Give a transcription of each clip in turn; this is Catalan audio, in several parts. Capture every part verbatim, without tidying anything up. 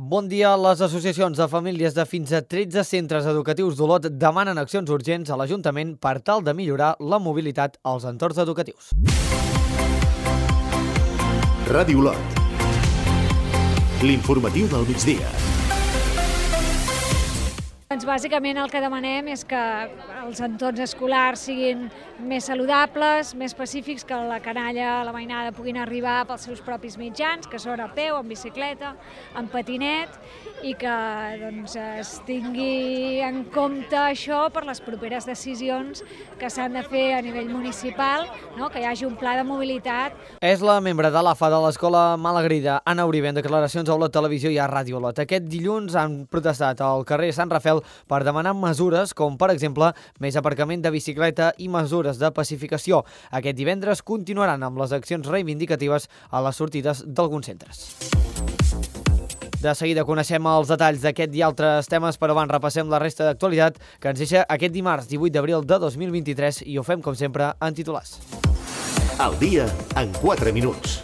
Bon dia. Les associacions de famílies de fins a tretze centres educatius d'Olot demanen accions urgents a l'Ajuntament per tal de millorar la mobilitat als entorns educatius. Ràdio Olot. L'informatiu del migdia. Doncs bàsicament el que demanem és que els entorns escolars siguin més saludables, més pacífics, que la canalla, la mainada puguin arribar pels seus propis mitjans, que són a peu, en bicicleta, en patinet, i que doncs, es tingui en compte això per les properes decisions que s'han de fer a nivell municipal, no? Que hi hagi un pla de mobilitat. És la membre de l'A F A de l'Escola Malagrida, Anna Uribe, en declaracions a Olot Televisió i a Ràdio Olot. Aquest dilluns han protestat al carrer Sant Rafel per demanar mesures com, per exemple, més aparcament de bicicleta i mesures de pacificació. Aquest divendres continuaran amb les accions reivindicatives a les sortides d'alguns centres. De seguida coneixem els detalls d'aquest i altres temes, però abans repassem la resta d'actualitat que ens deixa aquest dimarts divuit d'abril de dos mil vint-i-tres i ho fem, com sempre, en titulars. El dia en quatre minuts.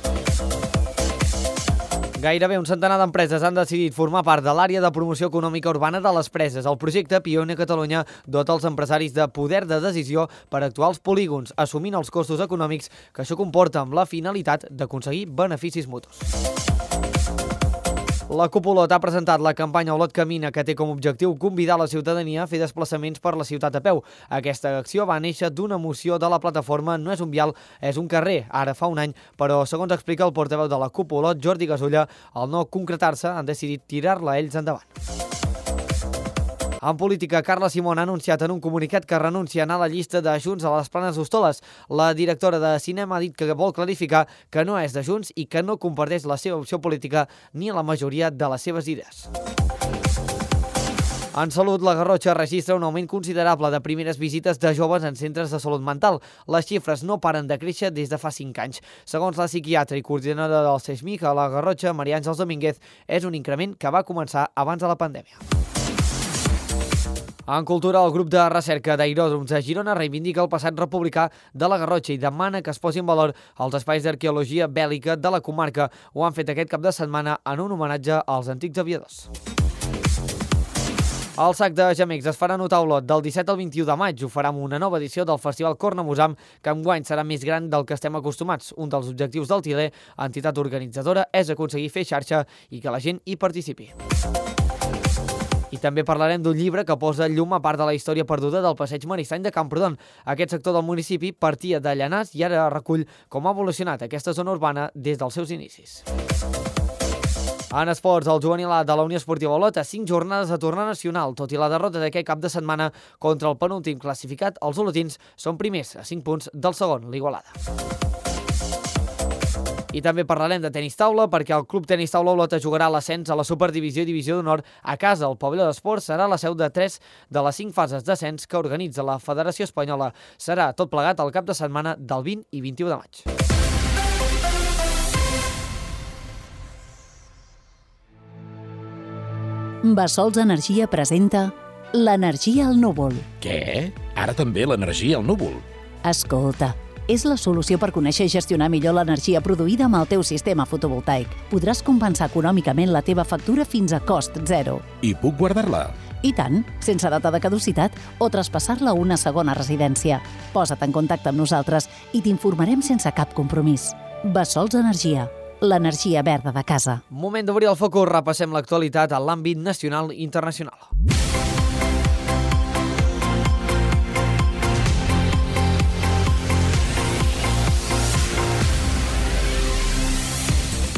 Gairebé un centenar d'empreses han decidit formar part de l'àrea de promoció econòmica urbana de les preses. El projecte Pioner Catalunya dota els empresaris de poder de decisió per actuar als polígons, assumint els costos econòmics que això comporta amb la finalitat d'aconseguir beneficis mutus. La CUP Olot ha presentat la campanya Olot Camina, que té com a objectiu convidar la ciutadania a fer desplaçaments per la ciutat a peu. Aquesta acció va néixer d'una moció de la plataforma No és un vial, és un carrer, ara fa un any, però segons explica el portaveu de la CUP Olot, Jordi Gasulla, al no concretar-se han decidit tirar-la ells endavant. En política, Carla Simón ha anunciat en un comunicat que renuncia a anar a la llista de Junts a les Planes d'Hostoles. La directora de cinema ha dit que vol clarificar que no és de Junts i que no comparteix la seva opció política ni la majoria de les seves idees. En salut, la Garrotxa registra un augment considerable de primeres visites de joves en centres de salut mental. Les xifres no paren de créixer des de fa cinc anys. Segons la psiquiatra i coordinadora del CESMIC a la Garrotxa, Maria Àngels Domínguez, és un increment que va començar abans de la pandèmia. En cultura, el grup de recerca d'aeròdroms de Girona reivindica el passat republicà de la Garrotxa i demana que es posi en valor els espais d'arqueologia bèl·lica de la comarca. Ho han fet aquest cap de setmana en un homenatge als antics aviadors. El sac de gemecs es farà notar a Olot del disset al vint-i-u de maig. Ho farà amb una nova edició del Festival Cornamusam, que enguany serà més gran del que estem acostumats. Un dels objectius del Tiler, entitat organitzadora, és aconseguir fer xarxa i que la gent hi participi. I també parlarem d'un llibre que posa llum a part de la història perduda del passeig Maristany de Camprodon. Aquest sector del municipi partia de Llanars i ara recull com ha evolucionat aquesta zona urbana des dels seus inicis. En esports, el juvenil A de la Unió Esportiva Olot a cinc jornades a tornar nacional. Tot i la derrota d'aquest cap de setmana contra el penúltim classificat, els olotins són primers a cinc punts del segon, l'Igualada. I també parlarem de tenis taula perquè el Club Tenis Taula Olot jugarà l'ascens a la Superdivisió i Divisió d'Honor a casa. El pavelló d'esports serà la seu de tres de les cinc fases d'ascens que organitza la Federació Espanyola. Serà tot plegat el cap de setmana del vint i vint-i-u de maig. Bassols Energia presenta l'energia al núvol. Què? Ara també l'energia al núvol? Escolta, és la solució per conèixer i gestionar millor l'energia produïda amb el teu sistema fotovoltaic. Podràs compensar econòmicament la teva factura fins a cost zero. I puc guardar-la? I tant, sense data de caducitat o traspassar-la a una segona residència. Posa't en contacte amb nosaltres i t'informarem sense cap compromís. Bassols Energia, l'energia verda de casa. Moment d'obrir el focus, repassem l'actualitat a l'àmbit nacional i internacional.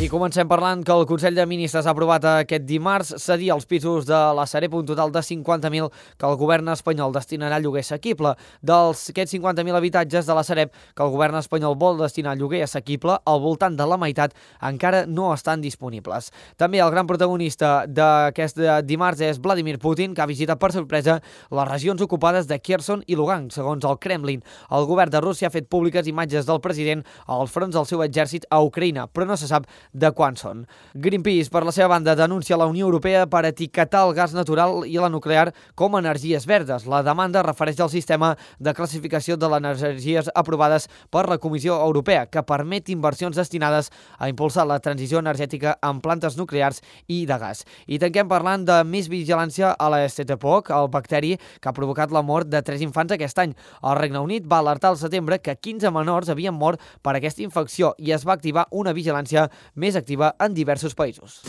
I comencem parlant que el Consell de Ministres ha aprovat aquest dimarts cedir els pisos de la Sareb un total de cinquanta mil que el govern espanyol destinarà a lloguer assequible. Dels aquests cinquanta mil habitatges de la Sareb que el govern espanyol vol destinar a lloguer assequible, al voltant de la meitat encara no estan disponibles. També el gran protagonista d'aquest dimarts és Vladimir Putin, que ha visitat per sorpresa les regions ocupades de Kherson i Lugansk, segons el Kremlin. El govern de Rússia ha fet públiques imatges del president als fronts del seu exèrcit a Ucraïna, però no se sap de quan són. Greenpeace, per la seva banda, denuncia la Unió Europea per etiquetar el gas natural i la nuclear com a energies verdes. La demanda refereix al sistema de classificació de les energies aprovades per la Comissió Europea, que permet inversions destinades a impulsar la transició energètica en plantes nuclears i de gas. I tanquem parlant de més vigilància a la Staphylococcus, el bacteri que ha provocat la mort de tres infants aquest any. El Regne Unit va alertar al setembre que quinze menors havien mort per aquesta infecció i es va activar una vigilància més activa en diversos països.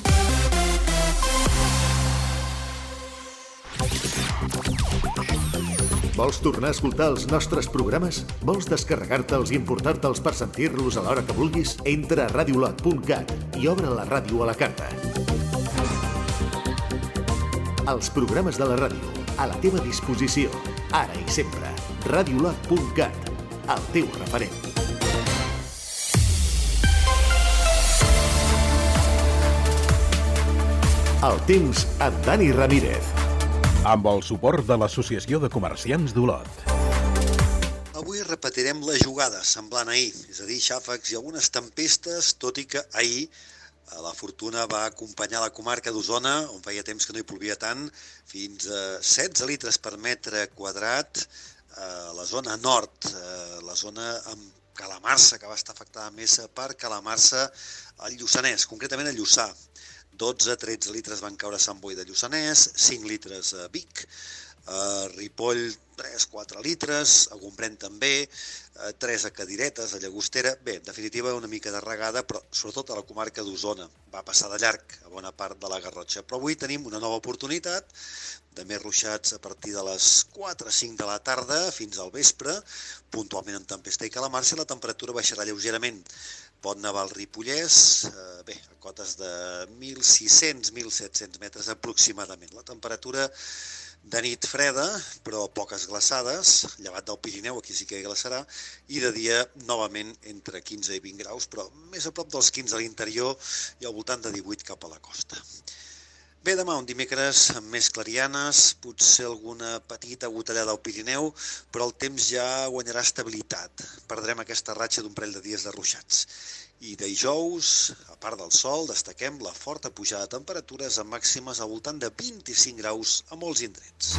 Vols tornar a escoltar els nostres programes? Vols descarregar-te'ls i importar-te'ls per sentir-los a l'hora que vulguis? Entra a radiolot punt cat i obre la ràdio a la carta. Els programes de la ràdio, a la teva disposició, ara i sempre. radiolot punt cat, el teu referent. El temps amb Dani Ramírez. Amb el suport de l'Associació de Comerciants d'Olot. Avui repetirem la jugada, semblant a ahir, és a dir, xàfecs i algunes tempestes, tot i que ahir la fortuna va acompanyar la comarca d'Osona, on feia temps que no hi plovia tant, fins a setze litres per metre quadrat a la zona nord, la zona amb calamarsa, que va estar afectada més per calamarsa al Lluçanès, concretament a Lluçà. dotze a tretze litres van caure a Sant Boi de Lluçanès, cinc litres a Vic, a Ripoll tres a quatre litres, a Gombrèn també, tres a Cadiretes, a Llagostera. Bé, en definitiva, una mica de regada, però sobretot a la comarca d'Osona. Va passar de llarg a bona part de la Garrotxa. Però avui tenim una nova oportunitat de més ruixats a partir de les quatre a cinc de la tarda fins al vespre, puntualment amb tempesta i calamarsa, i la temperatura baixarà lleugerament. Pot nevar al Ripollès, eh, bé, a cotes de mil sis-cents a mil set-cents metres aproximadament. La temperatura de nit freda, però poques glaçades, llevat del Pirineu, aquí sí que hi glaçarà, i de dia, novament, entre quinze i vint graus, però més a prop dels quinze a l'interior i al voltant de divuit cap a la costa. Bé, demà, un dimecres amb més clarianes, potser alguna petita gotellada al Pirineu, però el temps ja guanyarà estabilitat. Perdrem aquesta ratxa d'un parell de dies de ruixats. I dijous, a part del sol, destaquem la forta pujada de temperatures amb màximes al voltant de vint-i-cinc graus a molts indrets.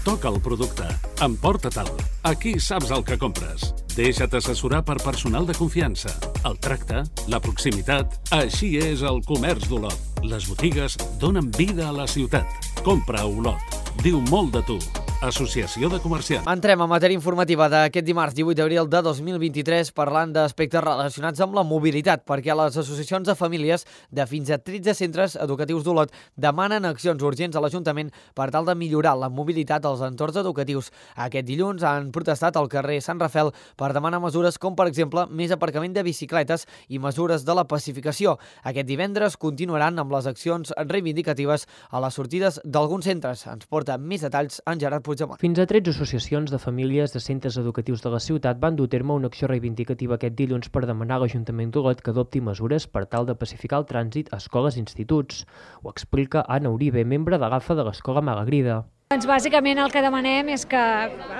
Toca el producte. Emporta-te'l. Aquí saps el que compres. Deixa't assessorar per personal de confiança. El tracte, la proximitat... Així és el comerç d'Olot. Les botigues donen vida a la ciutat. Compra a Olot. Diu molt de tu. Associació de Comerciants. Entrem a matèria informativa d'aquest dimarts divuit d'abril de dos mil vint-i-tres parlant d'aspectes relacionats amb la mobilitat, perquè les associacions de famílies de fins a tretze centres educatius d'Olot demanen accions urgents a l'Ajuntament per tal de millorar la mobilitat als entorns educatius. Aquest dilluns han protestat al carrer Sant Rafel per demanar mesures com, per exemple, més aparcament de bicicletes i mesures de la pacificació. Aquest divendres continuaran amb les accions reivindicatives a les sortides d'alguns centres. Ens porta més detalls en Gerard Puigdemont. Fins a tretze associacions de famílies de centres educatius de la ciutat van dur a terme una acció reivindicativa aquest dilluns per demanar a l'Ajuntament d'Olot que adopti mesures per tal de pacificar el trànsit a escoles i instituts. Ho explica Anna Uribe, membre de l'A F A de l'Escola Malagrida. Doncs bàsicament el que demanem és que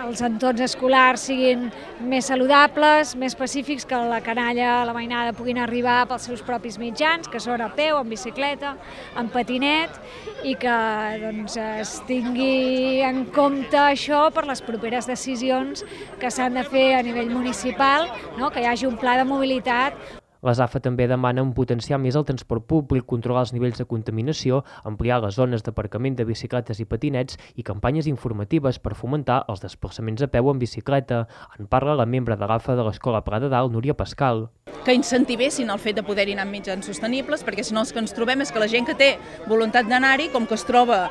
els entorns escolars siguin més saludables, més pacífics, que la canalla, la mainada puguin arribar pels seus propis mitjans, que són a peu, en bicicleta, en patinet, i que doncs, es tingui en compte això per les properes decisions que s'han de fer a nivell municipal, no? Que hi hagi un pla de mobilitat. Les A F A també demanen potenciar més el transport públic, controlar els nivells de contaminació, ampliar les zones d'aparcament de bicicletes i patinets i campanyes informatives per fomentar els desplaçaments a peu en bicicleta. En parla la membre de l'A F A de l'Escola Pla de Dalt, Núria Pascal. Que incentivessin el fet de poder-hi anar amb mitjans sostenibles, perquè si no el que ens trobem és que la gent que té voluntat d'anar-hi, com que es troba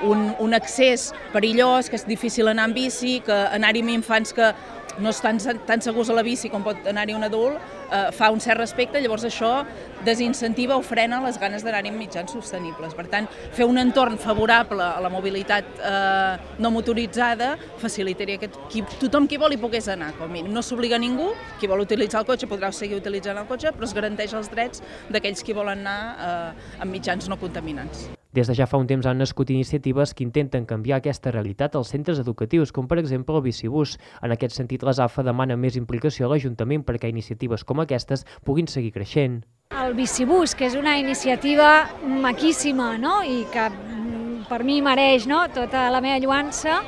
un, un accés perillós, que és difícil anar amb bici, que anar-hi amb infants que no estan tan segurs a la bici com pot anar-hi un adult, eh, fa un cert respecte, llavors això desincentiva o frena les ganes d'anar-hi amb mitjans sostenibles. Per tant, fer un entorn favorable a la mobilitat eh, no motoritzada facilitaria que qui, tothom qui vol hi pogués anar, com a mínim. No s'obliga ningú, qui vol utilitzar el cotxe podrà seguir utilitzant el cotxe, però es garanteix els drets d'aquells qui volen anar eh, amb mitjans no contaminants. Des de ja fa un temps han nascut iniciatives que intenten canviar aquesta realitat als centres educatius, com per exemple el bicibús. En aquest sentit, l'ASAFA demana més implicació a l'Ajuntament perquè iniciatives com aquestes puguin seguir creixent. El bicibús, que és una iniciativa maquíssima, no? I que per mi mereix, no?, tota la meva lluança,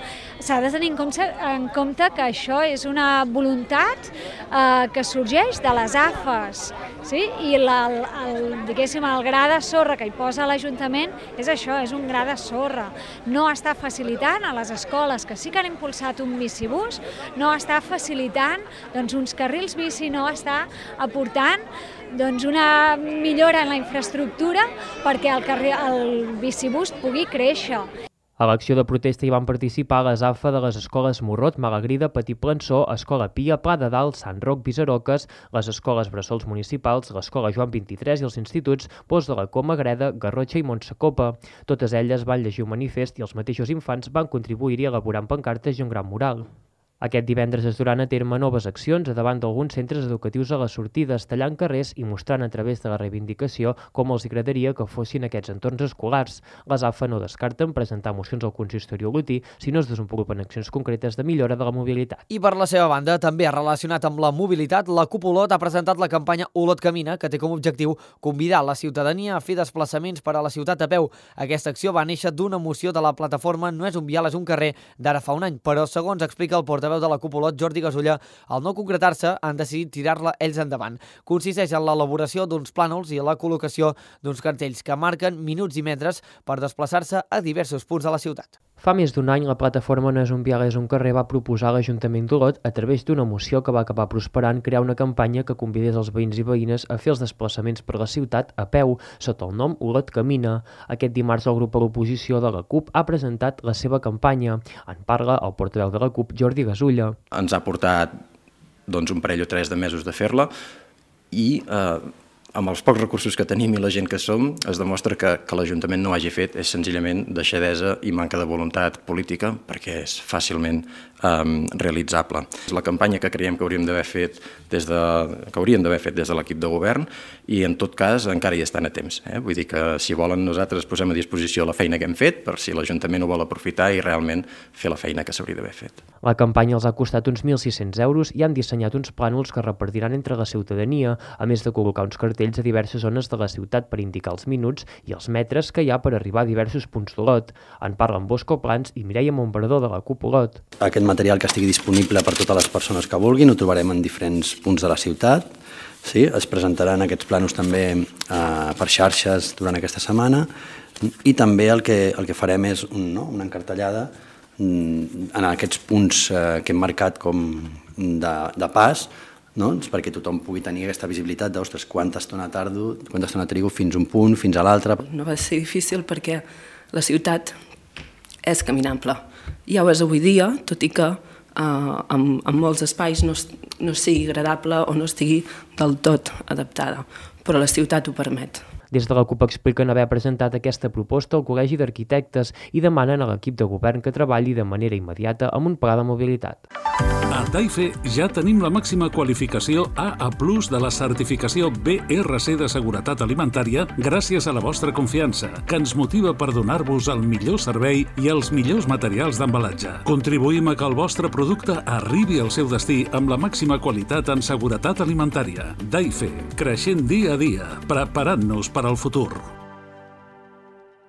s'ha de tenir en compte, en compte que això és una voluntat eh, que sorgeix de les A F Es, sí? I la, el, el, diguéssim, el gra de sorra que hi posa l'Ajuntament és això, és un gra de sorra. No està facilitant a les escoles que sí que han impulsat un bicibús, no està facilitant doncs, uns carrils bici, no està aportant doncs, una millora en la infraestructura perquè el, carril, el bicibús pugui créixer. A l'acció de protesta hi van participar les A F A de les escoles Morrot, Malagrida, Petit Plançó, Escola Pia, Pla de Dalt, Sant Roc, Visaroques, les escoles Bressols municipals, l'Escola Joan vint-i-tres i els instituts Pous de la Coma, Greda, Garrotxa i Montsacopa. Totes elles van llegir un manifest i els mateixos infants van contribuir-hi elaborant pancartes i un gran mural. Aquest divendres es duran a terme noves accions davant d'alguns centres educatius a les sortides, tallant carrers i mostrant a través de la reivindicació com els agradaria que fossin aquests entorns escolars. Les A F A no descarten presentar mocions al consistori olotí si no es desenvolupen accions concretes de millora de la mobilitat. I per la seva banda, també relacionat amb la mobilitat, la CUP Olot ha presentat la campanya Olot Camina, que té com a objectiu convidar la ciutadania a fer desplaçaments per a la ciutat a peu. Aquesta acció va néixer d'una moció de la plataforma No és un vial, és un carrer d'ara fa un any, però segons explica el portaveu de la CUP Olot, Jordi Gasulla, al no concretar-se han decidit tirar-la ells endavant. Consisteix en l'elaboració d'uns plànols i la col·locació d'uns cartells que marquen minuts i metres per desplaçar-se a diversos punts de la ciutat. Fa més d'un any, la plataforma No és un vial, és un carrer va proposar a l'Ajuntament d'Olot, a través d'una moció que va acabar prosperant, crear una campanya que convidés els veïns i veïnes a fer els desplaçaments per la ciutat a peu, sota el nom Olot Camina. Aquest dimarts, el grup a l'oposició de la CUP ha presentat la seva campanya. En parla el portaveu de la CUP, Jordi Gasulla. Ens ha portat doncs, un parell o tres de mesos de fer-la i eh, amb els pocs recursos que tenim i la gent que som, es demostra que, que l'Ajuntament no ho hagi fet és senzillament deixadesa i manca de voluntat política perquè és fàcilment eh, realitzable. És la campanya que creiem que hauríem d'haver fet des de, que hauríem d'haver fet des de l'equip de govern i en tot cas encara hi estan a temps. Eh? Vull dir que si volen nosaltres posem a disposició la feina que hem fet per si l'Ajuntament ho vol aprofitar i realment fer la feina que s'hauria d'haver fet. La campanya els ha costat uns mil sis-cents euros i han dissenyat uns plànols que repartiran entre la ciutadania, a més de col·locar uns cartells a diverses zones de la ciutat per indicar els minuts i els metres que hi ha per arribar a diversos punts d'Olot. En parlen Bosco Plans i Mireia Montbardó de la CUP Olot. Aquest material que estigui disponible per totes les persones que vulguin ho trobarem en diferents punts de la ciutat. Sí, es presentaran aquests plànols també eh, per xarxes durant aquesta setmana i també el que, el que farem és un, no, una encartellada en aquests punts eh, que hem marcat com de, de pas, no? Perquè tothom pugui tenir aquesta visibilitat d'ostres, quanta estona tardo, quanta estona trigo fins un punt, fins a l'altre. No va ser difícil perquè la ciutat és caminable. Ja ho és avui dia, tot i que eh, en, en molts espais no, no sigui agradable o no estigui del tot adaptada, però la ciutat ho permet. Des de la CUP expliquen haver presentat aquesta proposta al Col·legi d'Arquitectes i demanen a l'equip de govern que treballi de manera immediata amb un pla de mobilitat. A Taife ja tenim la màxima qualificació A A plus de la certificació B R C de seguretat alimentària gràcies a la vostra confiança, que ens motiva per donar-vos el millor servei i els millors materials d'embalatge. Contribuïm a que el vostre producte arribi al seu destí amb la màxima qualitat en seguretat alimentària. Taife, creixent dia a dia, preparant-nos per al futur.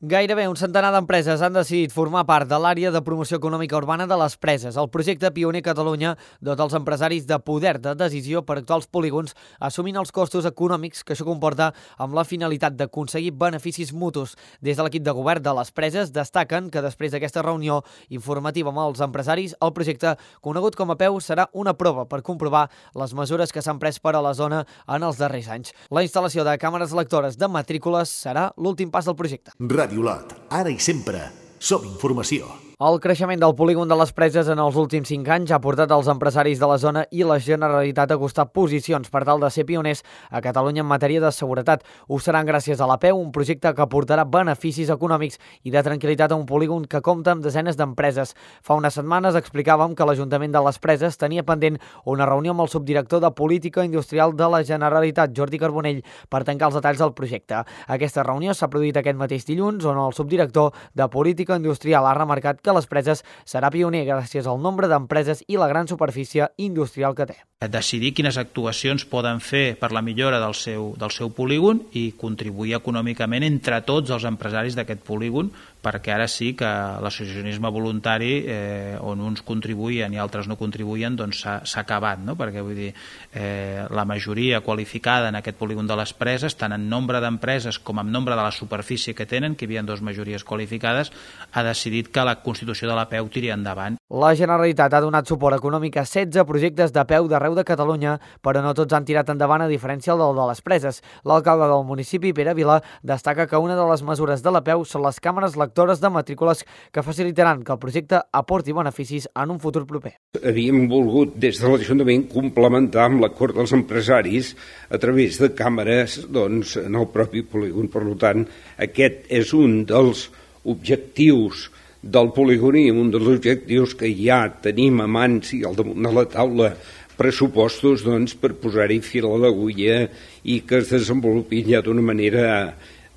Gairebé un centenar d'empreses han decidit formar part de l'àrea de promoció econòmica urbana de les Preses, el projecte pioner a Catalunya dota els empresaris de poder de decisió per actuar als polígons, assumint els costos econòmics que això comporta amb la finalitat d'aconseguir beneficis mutus. Des de l'equip de govern de les Preses destaquen que després d'aquesta reunió informativa amb els empresaris, el projecte, conegut com a Peu, serà una prova per comprovar les mesures que s'han pres per a la zona en els darrers anys. La instal·lació de càmeres lectores de matrícules serà l'últim pas del projecte. Ràdio Olot, ara i sempre, som informació. El creixement del polígon de les Preses en els últims cinc anys ha portat els empresaris de la zona i la Generalitat a acostar posicions per tal de ser pioners a Catalunya en matèria de seguretat. Ho seran gràcies a l'A P E U, un projecte que aportarà beneficis econòmics i de tranquil·litat a un polígon que compta amb desenes d'empreses. Fa unes setmanes explicàvem que l'Ajuntament de les Preses tenia pendent una reunió amb el subdirector de Política Industrial de la Generalitat, Jordi Carbonell, per tancar els detalls del projecte. Aquesta reunió s'ha produït aquest mateix dilluns, on el subdirector de Política Industrial ha remarcat que les Preses serà pioner gràcies al nombre d'empreses i la gran superfície industrial que té. Decidir quines actuacions poden fer per la millora del seu, del seu polígon i contribuir econòmicament entre tots els empresaris d'aquest polígon, perquè ara sí que l'associacionisme voluntari, eh, on uns contribuïen i altres no contribuïen, doncs s'ha acabat, no? Perquè vull dir, eh, la majoria qualificada en aquest polígon de les Preses, tant en nombre d'empreses com en nombre de la superfície que tenen, que hi havia dues majories qualificades, ha decidit que la constitució de l'A P E U tiri endavant. La Generalitat ha donat suport econòmic a setze projectes d'A P E U d'arreu de Catalunya, però no tots han tirat endavant a diferència del de les Preses. L'alcalde del municipi, Pere Vila, destaca que una de les mesures de l'A P E U són les càmeres lectores de matrícules que facilitaran que el projecte aporti beneficis en un futur proper. Havíem volgut des de l'Ajuntament complementar amb l'acord dels empresaris a través de càmeres doncs, en el propi polígon. Per tant, aquest és un dels objectius del polígon i un dels objectius que ja tenim a mans i al damunt de la taula pressupostos doncs, per posar-hi fil a l'agulla i que es desenvolupin ja d'una manera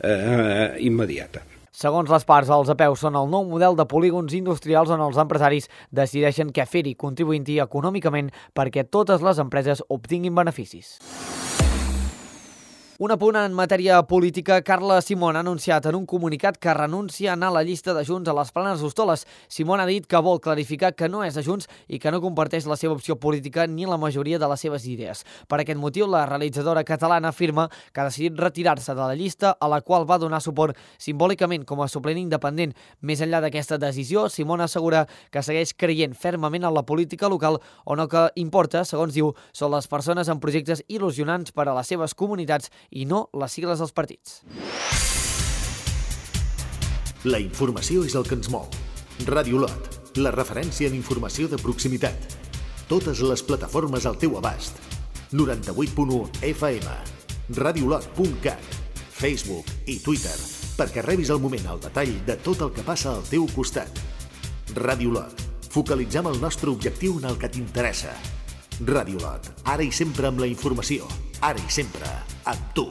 eh, immediata. Segons les parts, els A P E U són el nou model de polígons industrials on els empresaris decideixen què fer-hi, contribuint-hi econòmicament perquè totes les empreses obtinguin beneficis. Un apunt en matèria política, Carla Simón ha anunciat en un comunicat que renuncia a anar a la llista de Junts a les Planes d'Hostoles. Simón ha dit que vol clarificar que no és de Junts i que no comparteix la seva opció política ni la majoria de les seves idees. Per aquest motiu, la realitzadora catalana afirma que ha decidit retirar-se de la llista a la qual va donar suport simbòlicament com a suplent independent. Més enllà d'aquesta decisió, Simón assegura que segueix creient fermament en la política local on el que importa, segons diu, són les persones amb projectes il·lusionants per a les seves comunitats i no les sigles dels partits. La informació és el que ens mou. Ràdio Lot, la referència en informació de proximitat. Totes les plataformes al teu abast. noranta-vuit punt u F M, radiolot punt cat, Facebook i Twitter, perquè rebis al moment el detall de tot el que passa al teu costat. Ràdio Lot, focalitzem el nostre objectiu en el que t'interessa. Ràdio Lot, ara i sempre amb la informació, ara i sempre amb tu.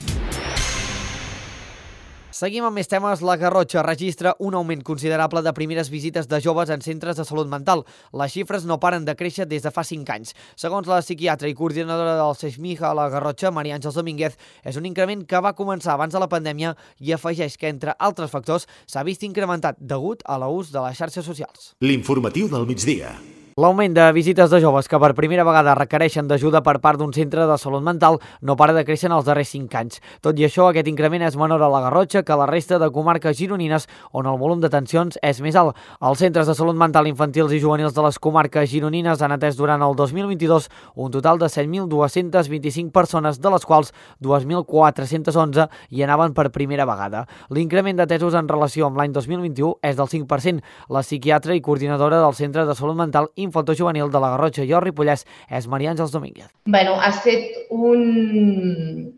Seguim amb més temes. La Garrotxa registra un augment considerable de primeres visites de joves en centres de salut mental. Les xifres no paren de créixer des de fa cinc anys. Segons la psiquiatra i coordinadora del SEIXMIJA a la Garrotxa, Maria Àngels Domínguez, és un increment que va començar abans de la pandèmia i afegeix que, entre altres factors, s'ha vist incrementat degut a l'ús de les xarxes socials. L'informatiu del migdia. L'augment de visites de joves que per primera vegada requereixen d'ajuda per part d'un centre de salut mental no para de créixer en els darrers cinc anys. Tot i això, aquest increment és menor a la Garrotxa que a la resta de comarques gironines, on el volum d'atencions és més alt. Els centres de salut mental infantils i juvenils de les comarques gironines han atès durant el dos mil vint-i-dos un total de set mil dos-cents vint-i-cinc persones, de les quals dos mil quatre-cents onze hi anaven per primera vegada. L'increment d'atesos en relació amb l'any dos mil vint-i-u és del cinc per cent. La psiquiatra i coordinadora del Centre de Salut Mental Infantojuvenil de la Garrotxa i el Ripollès és Maria Àngels Domínguez. Bueno, ha estat un,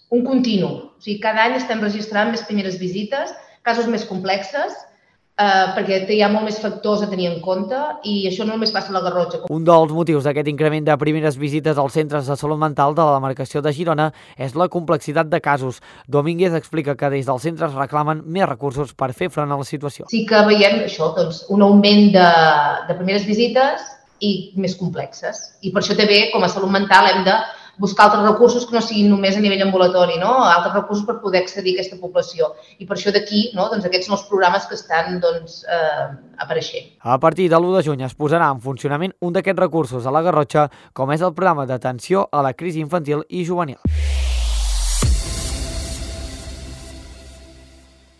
un continu. O sigui, cada any estem registrant més primeres visites, casos més complexes, eh, perquè hi ha molt més factors a tenir en compte i això no només passa a la Garrotxa. Un dels motius d'aquest increment de primeres visites als centres de salut mental de la demarcació de Girona és la complexitat de casos. Domínguez explica que des dels centres reclamen més recursos per fer front a la situació. Sí que veiem això, doncs, un augment de, de primeres visites i més complexes. I per això també, com a salut mental, hem de buscar altres recursos que no siguin només a nivell ambulatori, no? Altres recursos per poder accedir a aquesta població. I per això d'aquí, no? Doncs aquests són els programes que estan doncs, eh, apareixent. A partir de l'u de juny es posarà en funcionament un d'aquests recursos a la Garrotxa, com és el programa d'atenció a la crisi infantil i juvenil.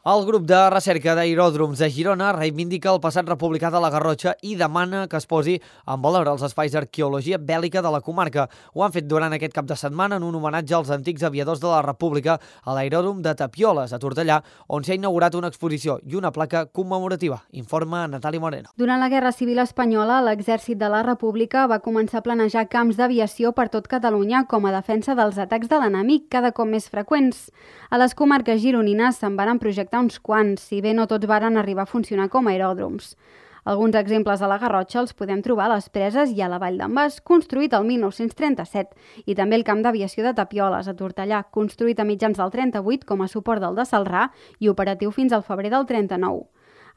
El grup de recerca d'aeròdroms de Girona reivindica el passat republicà de la Garrotxa i demana que es posi en valor els espais d'arqueologia bèl·lica de la comarca. Ho han fet durant aquest cap de setmana en un homenatge als antics aviadors de la República a l'aeròdrom de Tapioles, a Tortellà, on s'ha inaugurat una exposició i una placa commemorativa. Informa Natàlia Moreno. Durant la Guerra Civil Espanyola, l'Exèrcit de la República va començar a planejar camps d'aviació per tot Catalunya com a defensa dels atacs de l'enemic, cada cop més freqüents. A les comarques gironines se'n van projectar uns quants, si bé no tots varen arribar a funcionar com a aeròdroms. Alguns exemples a la Garrotxa els podem trobar a les Preses i a la Vall d'en Bas, construït el mil nou-cents trenta-set, i també el camp d'aviació de Tapioles, a Tortellà, construït a mitjans del trenta-vuit com a suport del de Celrà i operatiu fins al febrer del trenta-nou.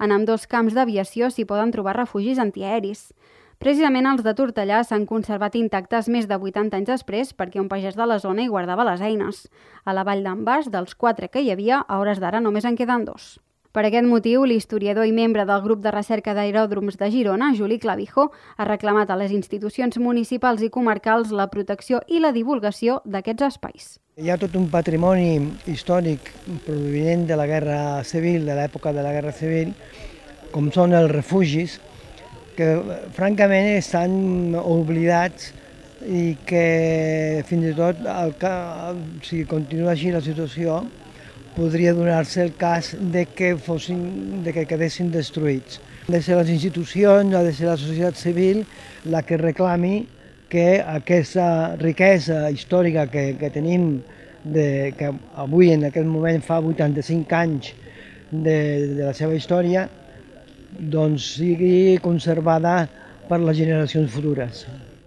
En ambdós camps d'aviació s'hi poden trobar refugis antiaeris. Precisament els de Tortellà s'han conservat intactes més de vuitanta anys després perquè un pagès de la zona hi guardava les eines. A la Vall d'en Bas, dels quatre que hi havia, a hores d'ara només en queden dos. Per aquest motiu, l'historiador i membre del grup de recerca d'aeròdroms de Girona, Juli Clavijo, ha reclamat a les institucions municipals i comarcals la protecció i la divulgació d'aquests espais. Hi ha tot un patrimoni històric provinent de la Guerra Civil, de l'època de la Guerra Civil, com són els refugis, que francament estan oblidats i que fins i tot, el, si continua així la situació, podria donar-se el cas de que, fossin, de que quedessin destruïts. Ha de ser les institucions, ha de ser la societat civil la que reclami que aquesta riquesa històrica que, que tenim, de, que avui en aquest moment fa vuitanta-cinc anys de, de la seva història, doncs sigui conservada per les generacions futures.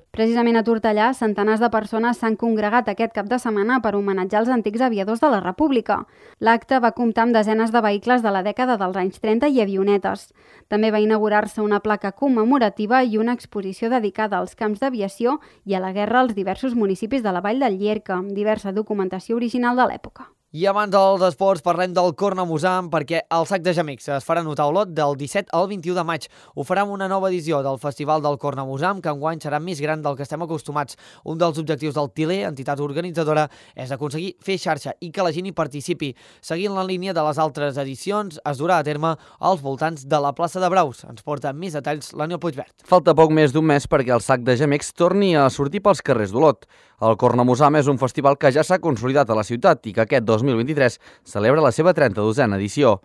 Precisament a Tortellà, centenars de persones s'han congregat aquest cap de setmana per homenatjar els antics aviadors de la República. L'acte va comptar amb desenes de vehicles de la dècada dels anys trenta i avionetes. També va inaugurar-se una placa commemorativa i una exposició dedicada als camps d'aviació i a la guerra als diversos municipis de la Vall del Llierca, amb diversa documentació original de l'època. I abans dels esports parlem del Cornamusam perquè el Sac de Gemecs es farà notar a Olot del disset al vint-i-u de maig. Ho farà amb una nova edició del Festival del Cornamusam, que enguany serà més gran del que estem acostumats. Un dels objectius del T I L E, entitat organitzadora, és aconseguir fer xarxa i que la gent hi participi. Seguint la línia de les altres edicions, es durà a terme als voltants de la plaça de Braus. Ens porta més detalls l'Aniol Puigverd. Falta poc més d'un mes perquè el Sac de Gemecs torni a sortir pels carrers d'Olot. El Cornamusam és un festival que ja s'ha consolidat a la ciutat i que aquest dos mil vint-i-tres celebra la seva trenta-dosena edició.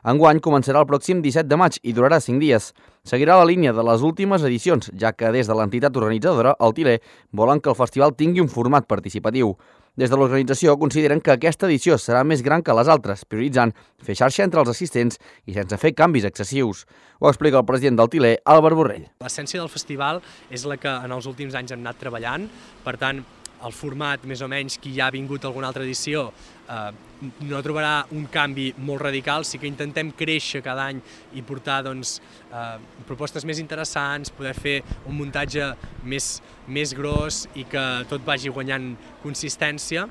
Enguany començarà el pròxim disset de maig i durarà cinc dies. Seguirà la línia de les últimes edicions, ja que des de l'entitat organitzadora, el T I L E, volen que el festival tingui un format participatiu. Des de l'organització consideren que aquesta edició serà més gran que les altres, prioritzant fer xarxa entre els assistents i sense fer canvis excessius. Ho explica el president del T I L E, Àlvar Borrell. L'essència del festival és la que en els últims anys hem anat treballant, per tant, el format, més o menys, qui ja ha vingut a alguna altra edició, eh, no trobarà un canvi molt radical, sí que intentem créixer cada any i portar doncs, eh, propostes més interessants, poder fer un muntatge més, més gros i que tot vagi guanyant consistència,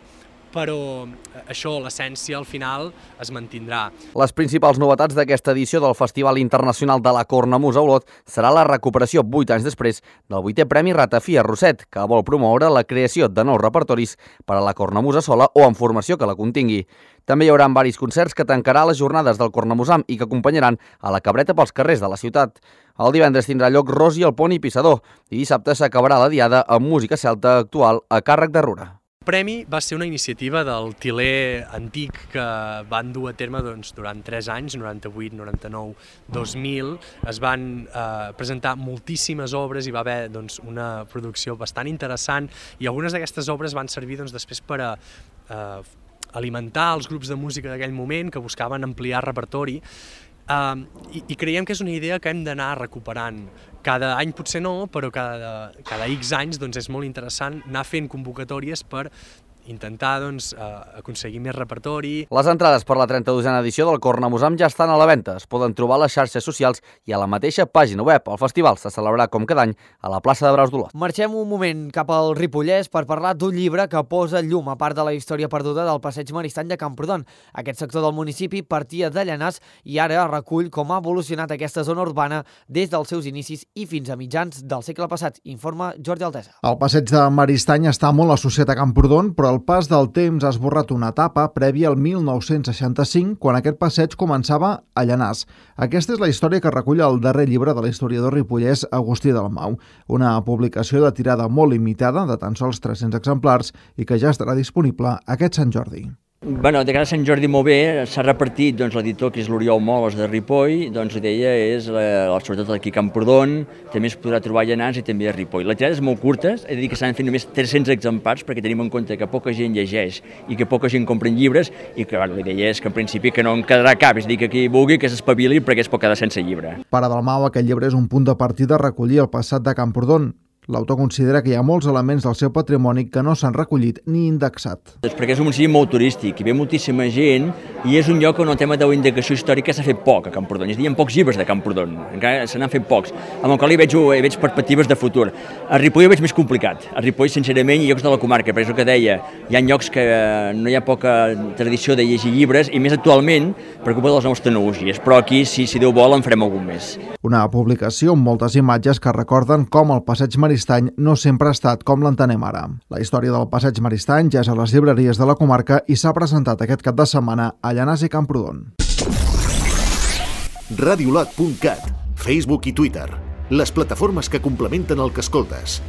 però això, l'essència, al final, es mantindrà. Les principals novetats d'aquesta edició del Festival Internacional de la Cornamusa a Olot serà la recuperació, vuit anys després, del vuitè Premi Ratafia Roset, que vol promoure la creació de nous repertoris per a la cornamusa sola o en formació que la contingui. També hi haurà varis concerts que tancarà les jornades del Cornamusam i que acompanyaran a la cabreta pels carrers de la ciutat. El divendres tindrà lloc Rosi el Pont i Pissador i dissabte s'acabarà la diada amb música celta actual a càrrec de Rura. El premi va ser una iniciativa del T I L E antic que van dur a terme doncs, durant tres anys, noranta-vuit, noranta-nou, dos mil. Es van eh, presentar moltíssimes obres i va haver doncs, una producció bastant interessant i algunes d'aquestes obres van servir doncs, després per a eh, alimentar els grups de música d'aquell moment que buscaven ampliar repertori. Uh, i, i creiem que és una idea que hem d'anar recuperant. Cada any potser no, però cada, cada X anys doncs, és molt interessant anar fent convocatòries per intentar doncs, aconseguir més repertori. Les entrades per la trenta-dosena edició del Cornamusam ja estan a la venda. Es poden trobar a les xarxes socials i a la mateixa pàgina web. El festival se celebrarà com cada any a la plaça de Braus d'Olot. Marxem un moment cap al Ripollès per parlar d'un llibre que posa llum a part de la història perduda del passeig Maristany de Camprodon. Aquest sector del municipi partia de Llanars i ara recull com ha evolucionat aquesta zona urbana des dels seus inicis i fins a mitjans del segle passat, informa Jordi Altesa. El passeig de Maristany està molt associat a Camprodon, però el pas del temps ha esborrat una etapa prèvia al mil nou-cents seixanta-cinc, quan aquest passeig començava a Llanars. Aquesta és la història que recull el darrer llibre de l'historiador ripollès Agustí Dalmau, una publicació de tirada molt limitada, de tan sols tres-cents exemplars, i que ja estarà disponible aquest Sant Jordi. Bueno, de cara a Sant Jordi molt bé, s'ha repartit, doncs, l'editor, que és l'Oriol Moles de Ripoll, doncs l'idea és, eh, sobretot aquí a Camprodon, també es podrà trobar a Llanars i també a Ripoll. La tirada és molt curta, és a dir, que s'han fet només tres-cents exemplars, perquè tenim en compte que poca gent llegeix i que poca gent compra llibres, i que bueno, la idea és que en principi que no en quedarà cap, és a dir, que qui vulgui que s'espavili perquè es pot quedar sense llibre. Per a Dalmau, aquest llibre és un punt de partida a recollir el passat de Camprodon. L'autor considera que hi ha molts elements del seu patrimoni que no s'han recollit ni indexat. És perquè és un municipi molt turístic, hi ve moltíssima gent i és un lloc on el tema de la indicació històrica s'ha fet poc a Camprodon. És a dir, hi ha pocs llibres de Camprodon, encara se n'han fet pocs, amb el qual hi veig, hi veig perspectives de futur. A Ripoll ho veig més complicat. A Ripoll, sincerament, hi ha llocs de la comarca, però és el que deia, hi ha llocs que no hi ha poca tradició de llegir llibres i més actualment preocupa de les noves tecnologies, però aquí, si, si Déu vol, en farem algun més. Una publicació amb moltes imatges que recorden com el passeig Maristany no sempre ha estat com l'entenem ara. La història del passeig Maristany ja és a les llibreries de la comarca i s'ha presentat aquest cap de setmana a Llanars i Camprodon. radiolot punt cat, Facebook i Twitter, les plataformes que complementen el que escoltes.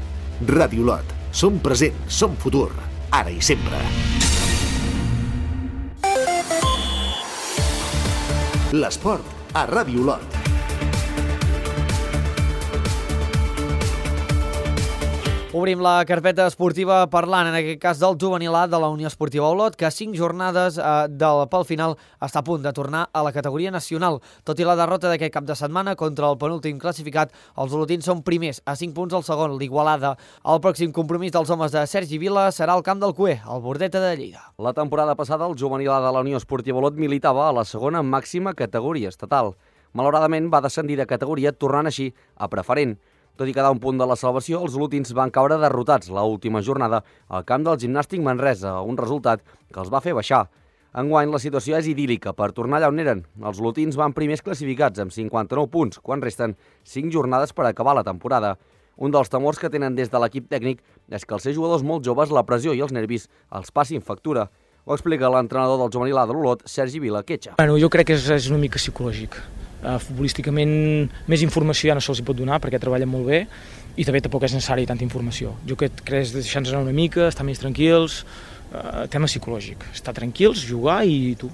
Radiolot, som present, som futur, ara i sempre. L'esport a Radiolot. Obrim la carpeta esportiva parlant, en aquest cas del juvenil A de la Unió Esportiva Olot, que a cinc jornades eh, del, pel final està a punt de tornar a la categoria nacional. Tot i la derrota d'aquest cap de setmana contra el penúltim classificat, els olotins són primers, a cinc punts al segon, l'Igualada. El pròxim compromís dels homes de Sergi Vila serà al camp del Cué, al Bordeta de Lleida. La temporada passada, el juvenil A de la Unió Esportiva Olot militava a la segona màxima categoria estatal. Malauradament va descendir de categoria, tornant així a preferent. Tot i quedar un punt de la salvació, els olotins van caure derrotats la última jornada al camp del Gimnàstic Manresa, un resultat que els va fer baixar. Enguany, la situació és idíl·lica per tornar allà on eren. Els olotins van primers classificats amb cinquanta-nou punts, quan resten cinc jornades per acabar la temporada. Un dels temors que tenen des de l'equip tècnic és que els seus jugadors molt joves, la pressió i els nervis els passin factura. Ho explica l'entrenador del juvenil A de l'Olot, Sergi Vila Quetxa. Bueno, jo crec que és, és una mica psicològic. Uh, futbolísticament més informació ja no se'ls pot donar perquè treballen molt bé i també tampoc és necessari tanta informació. Jo crec que és deixar-nos anar una mica, estar més tranquils, uh, tema psicològic, estar tranquils, jugar i tu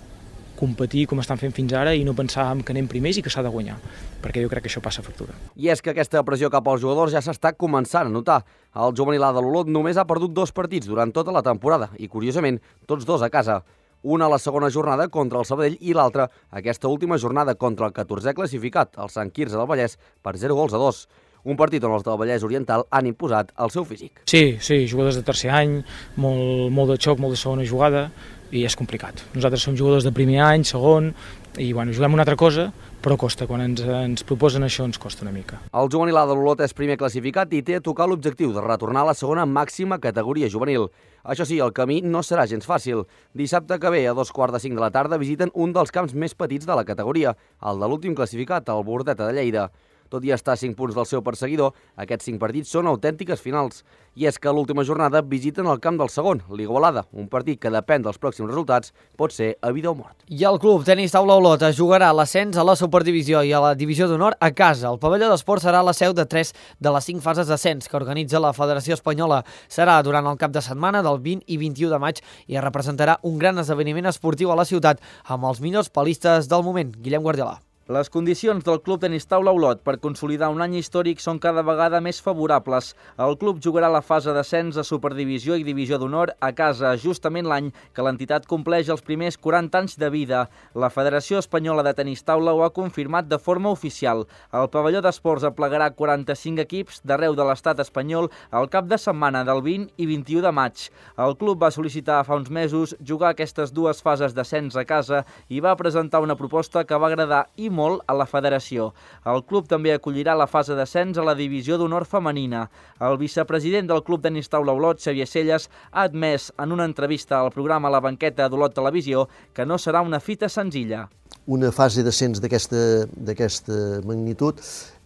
competir com estan fent fins ara i no pensar que anem primers i que s'ha de guanyar, perquè jo crec que això passa factura. I és que aquesta pressió cap als jugadors ja s'està començant a notar. El juvenil A de l'Olot només ha perdut dos partits durant tota la temporada i, curiosament, tots dos a casa. Una a la segona jornada contra el Sabadell i l'altra aquesta última jornada contra el catorzè classificat, el Sant Quirze del Vallès, per zero gols a dos. Un partit on els del Vallès Oriental han imposat el seu físic. Sí, sí, jugadors de tercer any, molt, molt de xoc, molt de segona jugada, i és complicat. Nosaltres som jugadors de primer any, segon, i bueno, juguem una altra cosa, però costa, quan ens, ens proposen això ens costa una mica. El juvenil A de l'Olot és primer classificat i té a tocar l'objectiu de retornar a la segona màxima categoria juvenil. Això sí, el camí no serà gens fàcil. Dissabte que ve, a dos quarts de cinc de la tarda, visiten un dels camps més petits de la categoria, el de l'últim classificat, el Bordeta de Lleida. Tot i estar a cinc punts del seu perseguidor, aquests cinc partits són autèntiques finals. I és que a l'última jornada visiten el camp del segon, l'Igualada, un partit que depèn dels pròxims resultats, pot ser a vida o mort. I el club tenis taula Olot jugarà l'ascens a la superdivisió i a la divisió d'honor a casa. El pavelló d'esport serà la seu de tres de les cinc fases d'ascens que organitza la Federació Espanyola. Serà durant el cap de setmana del vint i vint-i-u de maig i representarà un gran esdeveniment esportiu a la ciutat amb els millors palistes del moment. Guillem Guardiola. Les condicions del Club Tenis Taula Olot per consolidar un any històric són cada vegada més favorables. El club jugarà la fase d'ascens a Superdivisió i Divisió d'Honor a casa, justament l'any que l'entitat compleix els primers quaranta anys de vida. La Federació Espanyola de Tenis Taula ho ha confirmat de forma oficial. El pavelló d'esports aplegarà quaranta-cinc equips d'arreu de l'estat espanyol al cap de setmana del vint i vint-i-u de maig. El club va sol·licitar fa uns mesos jugar aquestes dues fases d'ascens a casa i va presentar una proposta que va agradar i molt a la federació. El club també acollirà la fase d'ascens a la divisió d'honor femenina. El vicepresident del Club Tenis Taula Olot, Xavier Celles, ha admès en una entrevista al programa La Banqueta d'Olot Televisió que no serà una fita senzilla. una fase d'ascens d'aquesta magnitud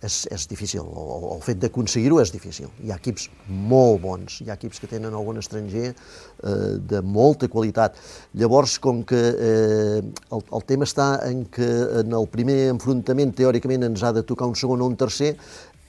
és, és difícil, el, el fet d'aconseguir-ho és difícil. Hi ha equips molt bons, hi ha equips que tenen algun estranger eh, de molta qualitat. Llavors, com que eh, el, el tema està en que en el primer enfrontament teòricament ens ha de tocar un segon o un tercer,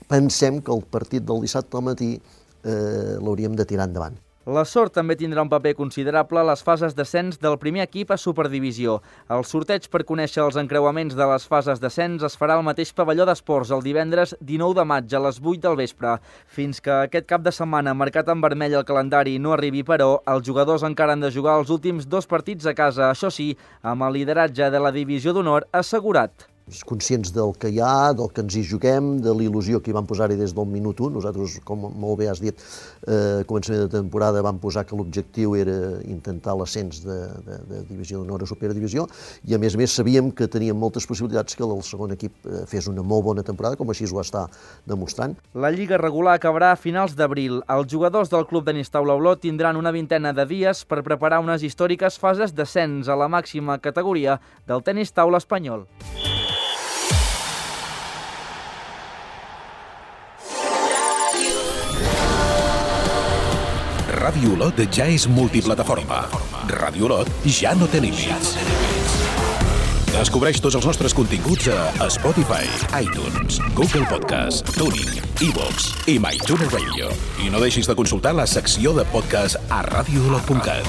pensem que el partit del dissabte al matí eh, l'hauríem de tirar endavant. La sort també tindrà un paper considerable a les fases d'ascens del primer equip a Superdivisió. El sorteig per conèixer els encreuaments de les fases d'ascens es farà al mateix pavelló d'esports el divendres dinou de maig a les vuit del vespre. Fins que aquest cap de setmana, marcat en vermell el calendari, no arribi, però, els jugadors encara han de jugar els últims dos partits a casa, això sí, amb el lideratge de la divisió d'honor assegurat. Conscients del que hi ha, del que ens hi juguem, de l'il·lusió que hi vam posar-hi des del minut u. Nosaltres, com molt bé has dit, eh, a començament de temporada vam posar que l'objectiu era intentar l'ascens de, de, de divisió d'honor a superdivisió i a més a més sabíem que teníem moltes possibilitats que el segon equip fes una molt bona temporada, com així ho està demostrant. La lliga regular acabarà a finals d'abril. Els jugadors del club Tenis Taula Olot tindran una vintena de dies per preparar unes històriques fases d'ascens a la màxima categoria del tenis taula espanyol. Ràdio Olot ja és multiplataforma. Ràdio Olot ja no té límits. Descobreix tots els nostres continguts a Spotify, iTunes, Google Podcast, TuneIn, iVoox i MyTuner Radio. I no deixis de consultar la secció de podcast a radio olot punt cat.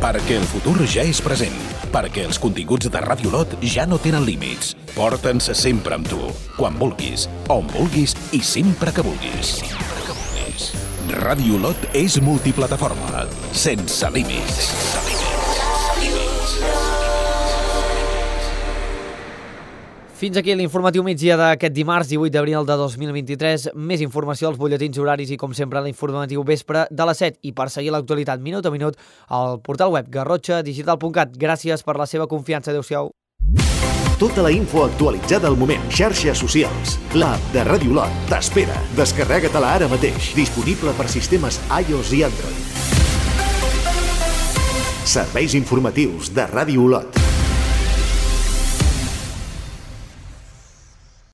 Perquè el futur ja és present. Perquè els continguts de Ràdio Olot ja no tenen límits. Porta'ns sempre amb tu, quan vulguis, on vulguis i sempre que vulguis. Ràdio Olot és multiplataforma, sense límits. Fins aquí l'informatiu migdia d'aquest dimarts, divuit d'abril de dos mil vint-i-tres. Més informació als butlletins horaris i, com sempre, l'informatiu vespre de les set. I per seguir l'actualitat minut a minut, al portal web garrotxa digital punt cat. Gràcies per la seva confiança. Adéu-siau. Tota la info actualitzada al moment. Xarxes socials. L'app de Ràdio Olot t'espera. Descarrega-te-la ara mateix. Disponible per sistemes iOS i Android. Serveis informatius de Ràdio Olot.